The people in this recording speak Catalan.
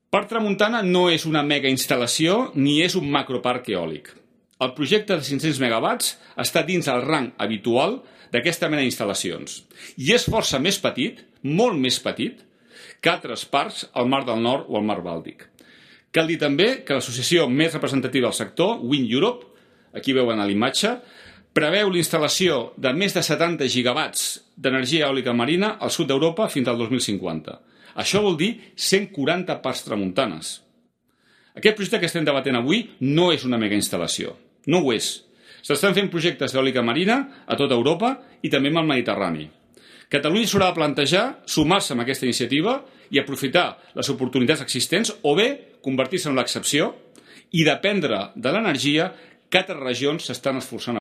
Parc Tramuntana no és una mega instal·lació ni és un macroparc eòlic. El projecte de 500 megawatts està dins el rang habitual d'aquesta mena d'instal·lacions i és força més petit, molt més petit, que altres parcs al Mar del Nord o al Mar Bàltic. Cal dir també que l'associació més representativa del sector, Wind Europe, aquí veuen a l'imatge, preveu l'instal·lació de més de 70 gigawatts d'energia eòlica marina al sud d'Europa fins al 2050. Això vol dir 140 parcs tramuntanes. Aquest projecte que estem debatent avui no és una mega instal·lació. No ho és. S'estan fent projectes d'eòlica marina a tota Europa i també al Mediterrani. Catalunya s'haurà de plantejar sumar-se a aquesta iniciativa i aprofitar les oportunitats existents o bé convertir-se en l'excepció i dependre de l'energia que altres regions s'estan esforçant